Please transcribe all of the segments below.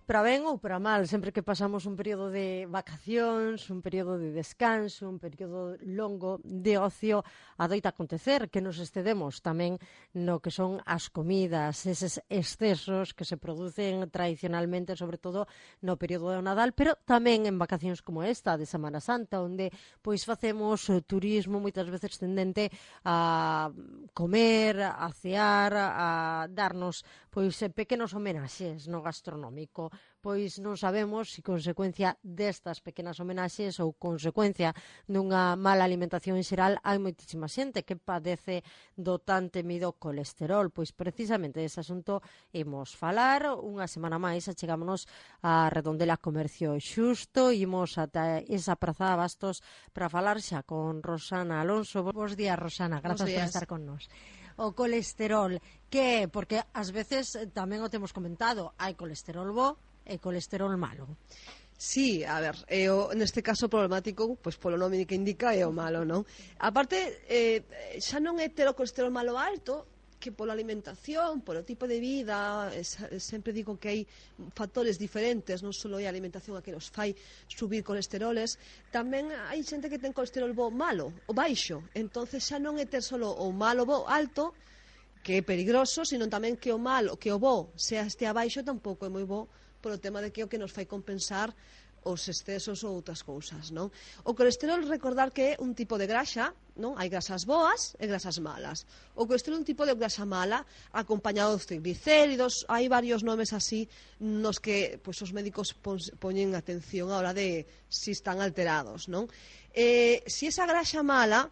para ben ou para mal, sempre que pasamos un período de vacacións, un período de descanso, un período longo de ocio, adoita acontecer que nos excedemos tamén no que son as comidas, eses excesos que se producen tradicionalmente, sobre todo no período do Nadal, pero tamén en vacacións como esta de Semana Santa, onde pois facemos turismo moitas veces tendente a comer, a cear, a darnos pois pequenos homenaxes no gastronómico. Pois non sabemos se consecuencia destas pequenas homenaxes ou consecuencia dunha mala alimentación en xeral hai moitísima xente que padece do tan temido colesterol. Pois precisamente dese asunto imos falar unha semana máis, achegámonos a Redondela Comercio Xusto, imos ata esa praza de Bastos para falar xa con Rosana Alonso. Bos días, Rosana, grazas por estar con nós. O colesterol, que porque ás veces tamén o temos comentado, hai colesterol bo e colesterol malo. Sí, a ver, neste caso problemático, pois polo nome que indica é o malo, non? Aparte, xa non é ter o colesterol malo alto, que pola alimentación, polo tipo de vida, sempre digo que hai factores diferentes, non só é a alimentación a que nos fai subir colesteroles, tamén hai xente que ten colesterol bo malo, o baixo, entonces xa non é ter solo o malo bo alto, que é peligroso, sino tamén que o malo, que o bo estea baixo tampouco é moi bo, polo tema de que é o que nos fai compensar os excesos ou outras cousas, non? O colesterol, recordar que é un tipo de graxa, non? Hai grasas boas e grasas malas. O colesterol é un tipo de grasa mala acompañado dos triglicéridos, hai varios nomes así nos que pois, os médicos poñen atención a hora de si están alterados, non? Si esa graxa mala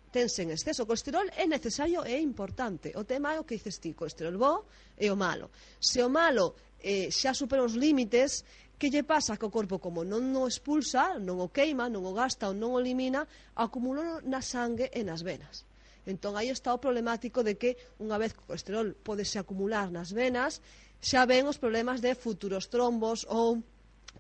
tense en exceso, o colesterol é necesario e é importante. O tema é o que dices ti, colesterol bo e o malo. Se o malo xa supera os límites, que lle pasa que o corpo, como non o expulsa, non o queima, non o gasta ou non o elimina, acumula na sangue e nas venas. Entón aí está o problemático de que unha vez que o colesterol podese acumular nas venas, xa ven os problemas de futuros trombos ou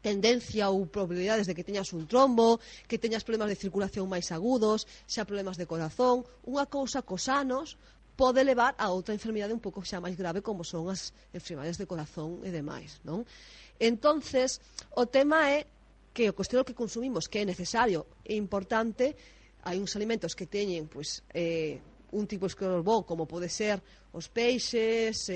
tendencia ou probabilidades de que teñas un trombo, que teñas problemas de circulación máis agudos, xa problemas de corazón. Unha cousa cos anos pode levar a outra enfermidade un pouco xa máis grave, como son as enfermidades de corazón e demais, non? Entonces, o tema é que o colesterol que consumimos, que é necesario e importante, hai uns alimentos que teñen pois, un tipo de colesterol bo, como pode ser os peixes,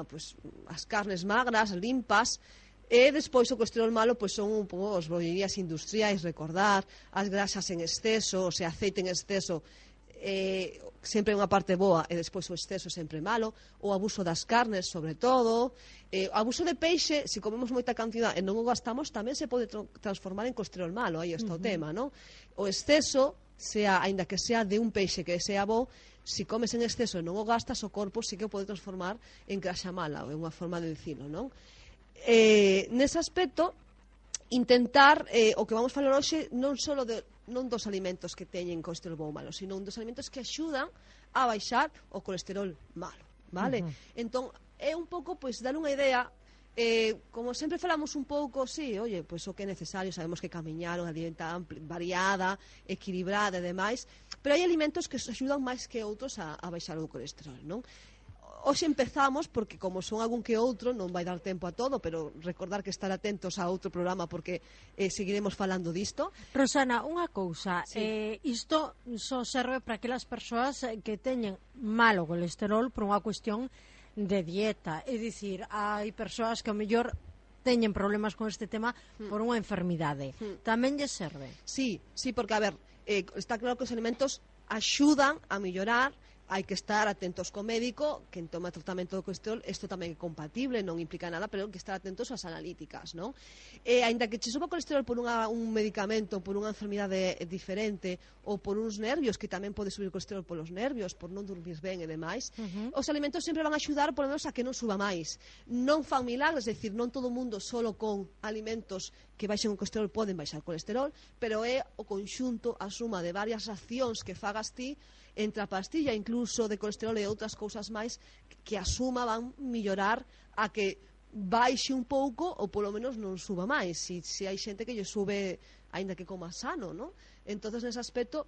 pois, as carnes magras, limpas, e despois o colesterol malo pois son un pouco as bollerías industriais, recordar, as grasas en exceso, o sea, aceite en exceso, sempre unha parte boa e despois o exceso sempre malo, o abuso das carnes sobre todo, o abuso de peixe, se comemos moita cantidad e non o gastamos, tamén se pode transformar en colesterol malo, aí está o tema, non? O exceso, aínda que sea de un peixe que sea bo, se comes en exceso e non o gastas, o corpo sí que o pode transformar en grasa mala, é unha forma de dicilo, non? Nese aspecto, intentar, o que vamos falar hoxe, non dos alimentos que teñen colesterol bo ou malo, sino dos alimentos que axudan a baixar o colesterol malo, vale? Entón, é un pouco, pois, dar unha idea, como sempre falamos un pouco, sí, oye, pois o que é necesario, sabemos que camiñar, unha dieta variada, equilibrada e demais, pero hai alimentos que axudan máis que outros a baixar o colesterol, non? Hoxe empezamos, porque como son algún que outro, non vai dar tempo a todo, pero recordar que estar atentos a outro programa, porque seguiremos falando disto. Rosana, unha cousa, sí. Isto só serve para aquelas persoas que teñen malo colesterol por unha cuestión de dieta, é dicir, hai persoas que ao mellor teñen problemas con este tema por unha enfermidade. Tamén lle serve? Sí, porque, a ver, está claro que os alimentos axudan a mellorar. Hai que estar atentos co médico, que toma tratamento do colesterol, isto tamén é compatible, non implica nada, pero hai que estar atentos ás analíticas, non? Ainda que che suba o colesterol por un medicamento, por unha enfermidade diferente, ou por uns nervios, que tamén pode subir o colesterol polos nervios, por non dormir ben e demais, os alimentos sempre van a axudar, por lo menos, a que non suba máis. Non fan milagres, é dicir, non todo o mundo solo con alimentos que baixen o colesterol poden baixar o colesterol, pero é o conxunto, a suma de varias accións que fagas ti, entre a pastilla incluso de colesterol e outras cousas máis, que a suma van mellorar a que baixe un pouco ou polo menos non suba máis. Se hai xente que lle sube aínda que coma sano, non? Entonces, nese aspecto,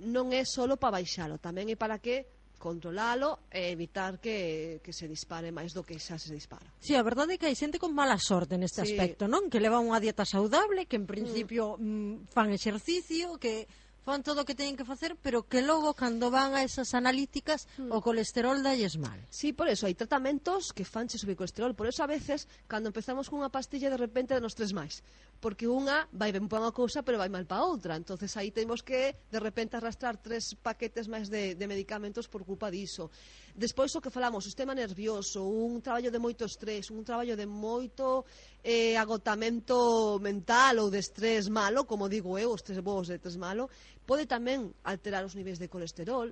non é solo para baixalo, tamén é para que controlalo e evitar que se dispare máis do que xa se dispara. Sí, a verdade é que hai xente con mala sorte neste aspecto, non? Que leva unha dieta saudable, que en principio fan exercicio, que fan todo o que teñen que facer, pero que logo, cando van a esas analíticas, o colesterol dalles mal. Sí, por eso, hai tratamentos que fanche subir colesterol. Por eso, a veces, cando empezamos cunha pastilla, de repente nos tres máis. Porque unha vai ben para unha cousa, pero vai mal para outra. Entonces aí temos que, de repente, arrastrar 3 paquetes máis de medicamentos por culpa diso. Despois, o que falamos, o sistema nervioso, un traballo de moito estrés, un traballo de moito agotamento mental ou de estrés malo, como digo eu, o estrés bo, o estrés malo, pode tamén alterar os niveis de colesterol.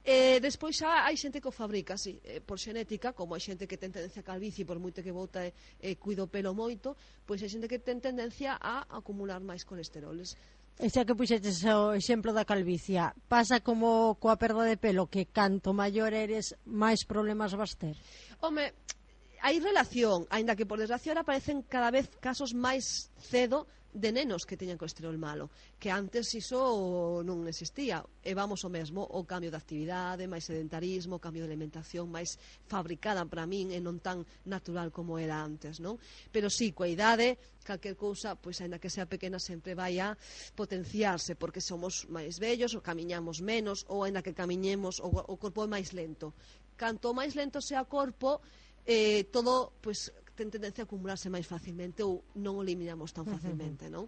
Despois xa hai xente que o fabrica, sí, por xenética, como hai xente que ten tendencia a calvicie, por moito que bota cuido o pelo moito, pois hai xente que ten tendencia a acumular máis colesteroles. E xa que puxetes o exemplo da calvicia, pasa como coa perda de pelo, que canto maior eres, máis problemas vas ter? Home, hai relación, aínda que por desgracia ahora aparecen cada vez casos máis cedo de nenos que teñan colesterol malo, que antes iso non existía. E vamos o mesmo, o cambio de actividade, máis sedentarismo, o cambio de alimentación máis fabricada para min e non tan natural como era antes, non? Pero sí, coa idade, calquer cousa, pois aínda que sea pequena, sempre vai a potenciarse, porque somos máis vellos, ou camiñamos menos, ou aínda que camiñemos, o corpo é máis lento. Canto máis lento sea o corpo, todo, pois, ten tendencia a acumularse máis facilmente ou non o eliminamos tan facilmente, non?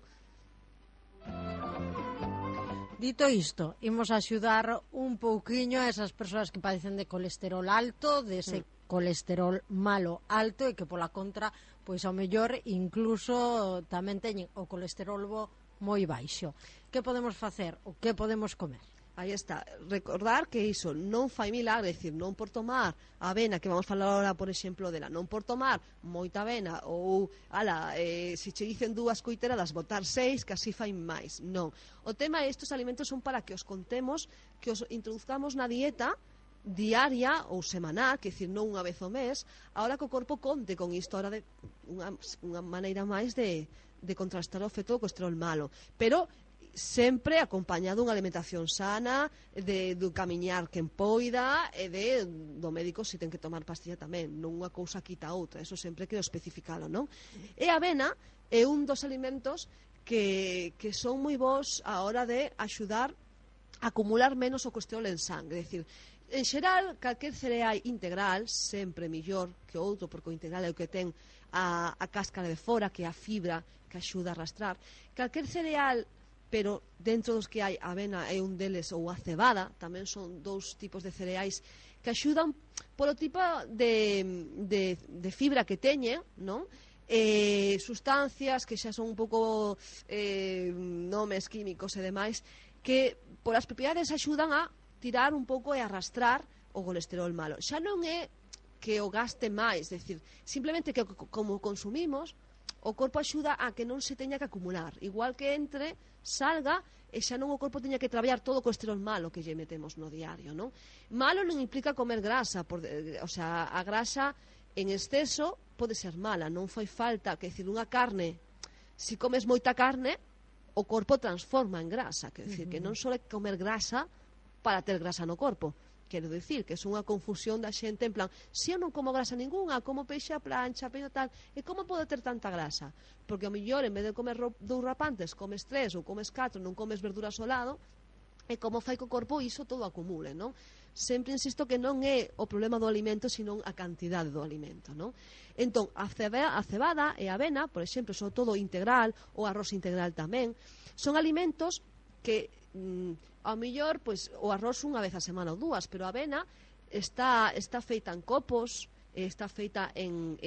Dito isto, imos axudar un pouquiño a esas persoas que padecen de colesterol alto, de ese colesterol malo alto, e que pola contra, pois ao mellor incluso tamén teñen o colesterol bo moi baixo. Que podemos facer? O que podemos comer? Aí está, recordar que iso non fai milagre, é dicir, non por tomar avena, que vamos falar ahora, por exemplo, dela, non por tomar moita avena, ou, se che dicen 2 coiteradas, botar 6, que así fai máis. Non. O tema é estes alimentos son para que os contemos, que os introduzcamos na dieta diaria ou semanal, que é dicir, non unha vez ao mes, ahora que o corpo conte con isto, ahora de unha maneira máis de contrastar o efecto do colesterol malo. Pero sempre acompañado dunha alimentación sana, do camiñar quen poida, e do médico se ten que tomar pastilla tamén, non unha cousa quita a outra, eso sempre quero especificalo, non? E a avena é un dos alimentos que son moi bons a hora de axudar a acumular menos o colesterol en sangre, é dicir, en xeral, calquer cereal integral sempre mellor que outro, porque o integral é o que ten a cáscara de fora, que é a fibra que axuda a arrastrar. Calquer cereal, pero dentro dos que hai, a avena é un deles, ou a cebada, tamén son 2 tipos de cereais que axudan polo tipo de fibra que teñen, non? Sustancias que xa son un pouco nomes químicos e demais, que polas propiedades axudan a tirar un pouco e arrastrar o colesterol malo. Xa non é que o gaste máis, é dicir, simplemente que como consumimos, o corpo axuda a que non se teña que acumular, igual que entre, salga, e xa non o corpo teña que traballar todo o colesterol malo que lle metemos no diario, non? Malo non implica comer grasa, o sea, a grasa en exceso pode ser mala, non fai falta, que decir, unha carne, se comes moita carne, o corpo transforma en grasa, que decir, que non só é comer grasa para ter grasa no corpo. Quero dicir que é unha confusión da xente en plan, se eu non como grasa ninguna, como peixe a plancha, peixe tal, e como podo ter tanta grasa? Porque ao mellor, en vez de comer 2 rapantes, comes 3 ou comes 4, non comes verduras ao lado, e como fai co corpo iso todo acumule, non? Sempre insisto que non é o problema do alimento, sino a cantidade do alimento, non? Entón, a cebada e a avena, por exemplo, sobre todo integral, o arroz integral tamén, son alimentos que ao mellor, pois, o arroz unha vez a semana ou 2, pero a avena está feita en copos, está feita en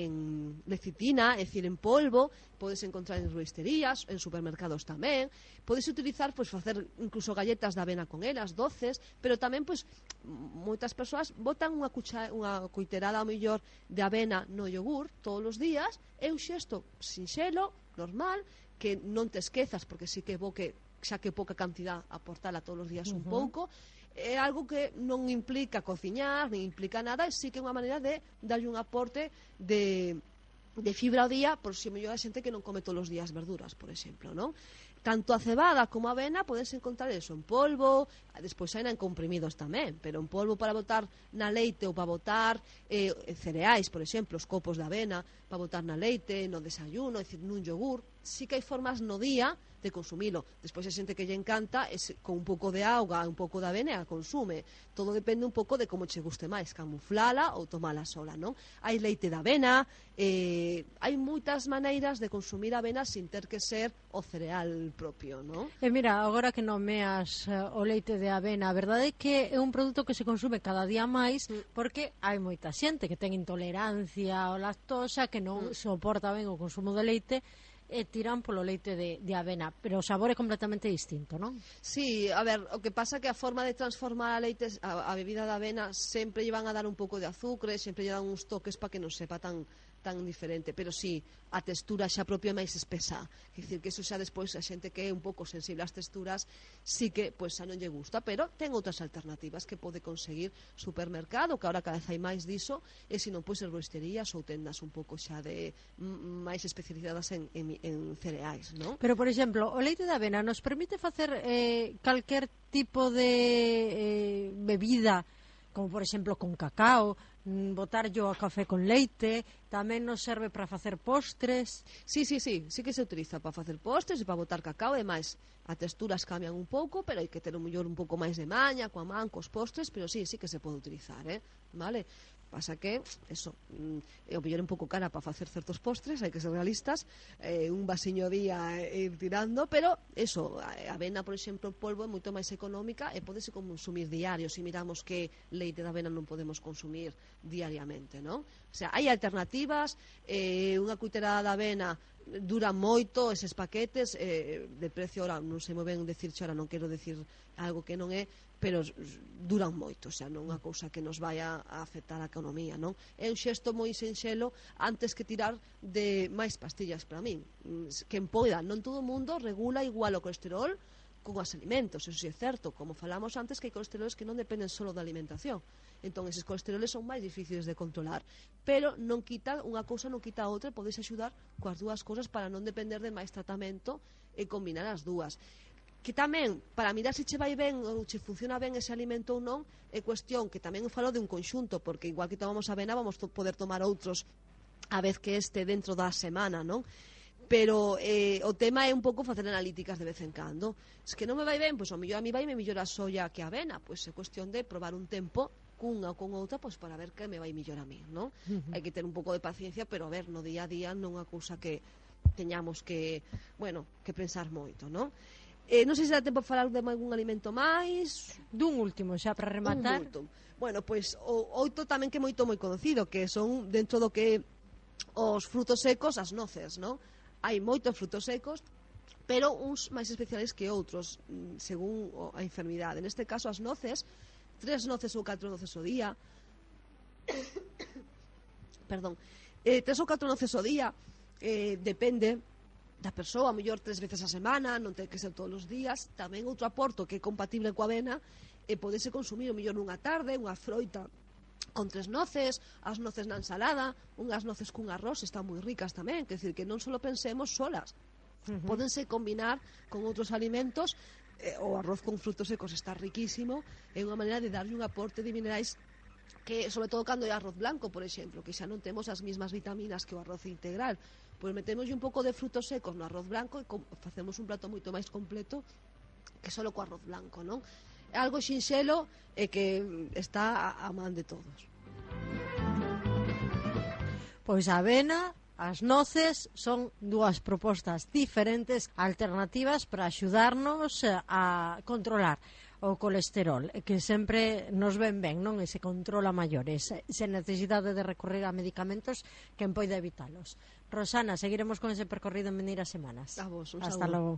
lecitina, é dicir, en polvo, podes encontrar en herboristerías, en supermercados tamén, podes utilizar, pois, facer incluso galletas de avena con elas, doces, pero tamén, pois, moitas persoas botan unha coiterada ao mellor de avena no yogur todos os días, é un xesto sinxelo, normal, que non te esquezas, porque sí que é bo que xa que pouca cantidad aportala todos os días un pouco, é algo que non implica cociñar, nin implica nada, e sí que é unha maneira de darlle un aporte de fibra ao día, por se mellor a xente que non come todos os días verduras, por exemplo, non? Tanto a cebada como a avena podes encontrar eso en polvo, despois hai en comprimidos tamén, pero en polvo para botar na leite ou para botar cereais, por exemplo, os copos de avena, para botar na leite, no desayuno, é dicir, nun yogur, sí que hai formas no día de consumilo. Despois hai xente que lle encanta con un pouco de auga, un pouco de avena, a consume. Todo depende un pouco de como che guste máis, camuflala ou tomala sola, non? Hai leite de avena, hai moitas maneiras de consumir avena sin ter que ser o cereal propio, non? E mira, agora que nomeas o leite de avena, a verdade é que é un produto que se consume cada día máis porque hai moita xente que ten intolerancia ao lactosa, que non soporta ben o consumo de leite e tiran polo leite de avena, pero o sabor é completamente distinto, non? Sí, a ver, o que pasa é que a forma de transformar a bebida de avena sempre lle van a dar un pouco de azúcar, sempre lle dan uns toques para que non sepa tan diferente, pero sí, a textura xa propia é máis espesa, quer dicir que eso xa despois a xente que é un pouco sensible ás texturas sí que pois xa non lle gusta, pero ten outras alternativas que pode conseguir supermercado, que ahora cada vez hai máis diso, e se non pois herboristerías ou tendas un pouco xa de máis especializadas en cereais, non? Pero, por exemplo, o leite de avena nos permite facer calquer tipo de bebida, como por exemplo con cacao, botar yo a café con leite, tamén nos serve para facer postres. Sí que se utiliza para facer postres e para botar cacao, e máis, as texturas cambian un pouco, pero hai que ter un mellor un pouco máis de maña, coa man, cos postres, pero sí que se pode utilizar, vale? Pasa que, eso, o mellor é un pouco cara para facer certos postres, hai que ser realistas, un vasiño día ir tirando, pero eso, a avena, por exemplo, polvo é moito máis económica e podese consumir diario, se miramos que leite de avena non podemos consumir diariamente, non? O sea, hai alternativas, unha cuiterada de avena dura moito, eses paquetes de precio, ahora non sei moi ben decirche, ahora non quero decir algo que non é, pero duran moito, o sea, non é unha cousa que nos vai a afectar a economía, non? É un xesto moi sinxelo antes que tirar de máis pastillas para min. Quen poida, non todo o mundo regula igual o colesterol con os alimentos, eso sí é certo, como falamos antes que hai colesteroles que non dependen só da alimentación. Entón, eses colesteroles son máis difíciles de controlar, pero non quita, unha cousa non quita a outra, e podes axudar coas dúas cousas para non depender de máis tratamento e combinar as dúas. Que tamén, para mirar se che vai ben ou che funciona ben ese alimento ou non, é cuestión que tamén falo de un conxunto, porque igual que tomamos avena vamos poder tomar outros a vez que este dentro da semana, non? Pero o tema é un pouco facer analíticas de vez en cando. Se que non me vai ben, pois ao mellor a mí vai me mellor a soia que a avena, pois é cuestión de probar un tempo cunha ou con outra, pois para ver que me vai mellor a mí, non? Hai que ter un pouco de paciencia, pero a ver, no día a día non é unha cousa que teñamos que, bueno, que pensar moito, non? Non sei se dá tempo a falar de algún alimento máis. Dun último, xa para rematar. Bueno, pois outro tamén que é moi conocido, que son dentro do que os frutos secos, as noces, non? Hai moitos frutos secos, pero uns máis especiales que outros, según a enfermidade. Neste caso, as noces, 3 noces ou 4 noces ao día, perdón, 3 ou 4 noces ao día, depende da persoa, a mellor 3 veces a semana, non ten que ser todos os días. Tamén outro aporto que é compatible coa avena, podese consumir o mellor nunha tarde, unha froita con 3 noces, as noces na ensalada, unhas noces cun arroz están moi ricas tamén, quer dizer que non só pensemos solas, pódense combinar con outros alimentos. O arroz con frutos secos está riquísimo, é unha maneira de darlle un aporte de minerais que, sobre todo cando é arroz blanco, por exemplo, que xa non temos as mismas vitaminas que o arroz integral, pois metemos un pouco de frutos secos no arroz blanco e facemos un prato moito máis completo que só co arroz blanco, non? É algo xinxelo e que está a man de todos. Pois a avena, as noces son dúas propostas diferentes, alternativas para axudarnos a controlar o colesterol, que sempre nos ven ben, non? E se controla maiores, sen necesidade de recorrer a medicamentos quen poida evitalos. Rosana, seguiremos con ese percorrido en veneiras semanas. A vos, un Hasta saúdo. logo.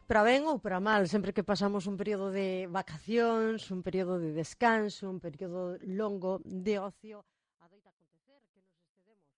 Para ben ou para mal, sempre que pasamos un período de vacacións, un período de descanso, un período longo de ocio, adoita acontecer que nos excedemos